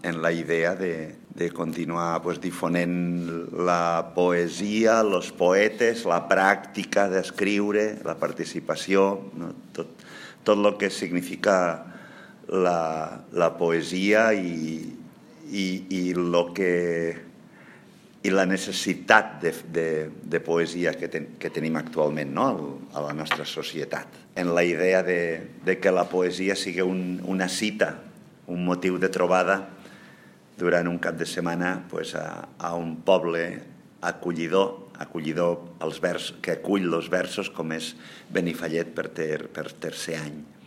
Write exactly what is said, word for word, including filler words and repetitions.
en la idea de, de continuar pues, difonent la poesia, els poetes, la pràctica d'escriure, la participació, no? tot, tot el que significa la, la poesia i, i, i, lo que, i la necessitat de, de, de poesia que, ten, que tenim actualment, no? a la nostra societat. En la idea de, de que la poesia sigui un, una cita, un motiu de trobada durant un cap de setmana pues, a, a un poble acollidor, acollidor als vers, que acull els versos com és Benifallet per, ter, per tercer any.